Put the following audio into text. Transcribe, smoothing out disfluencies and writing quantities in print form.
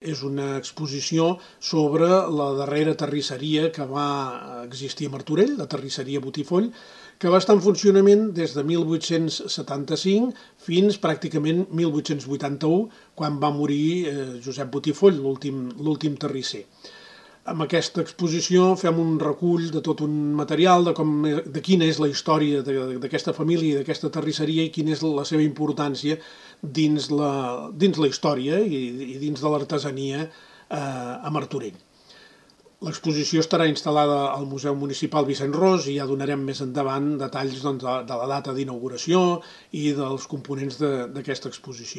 És una exposició sobre la darrera terrisseria que va existir a Martorell, la terrisseria Botifoll, que va estar en funcionament des de 1875 fins pràcticament 1881, quan va morir Josep Botifoll, l'últim terrisser. Amb aquesta exposició fem un recull de tot un material de quina és la història d'aquesta família i d'aquesta terrisseria i quina és la seva importància dins la història i dins de l'artesania a Martorell. L'exposició estarà instal·lada al Museu Municipal Vicent Ros i ja donarem més endavant detalls de la data d'inauguració i dels components d'aquesta exposició.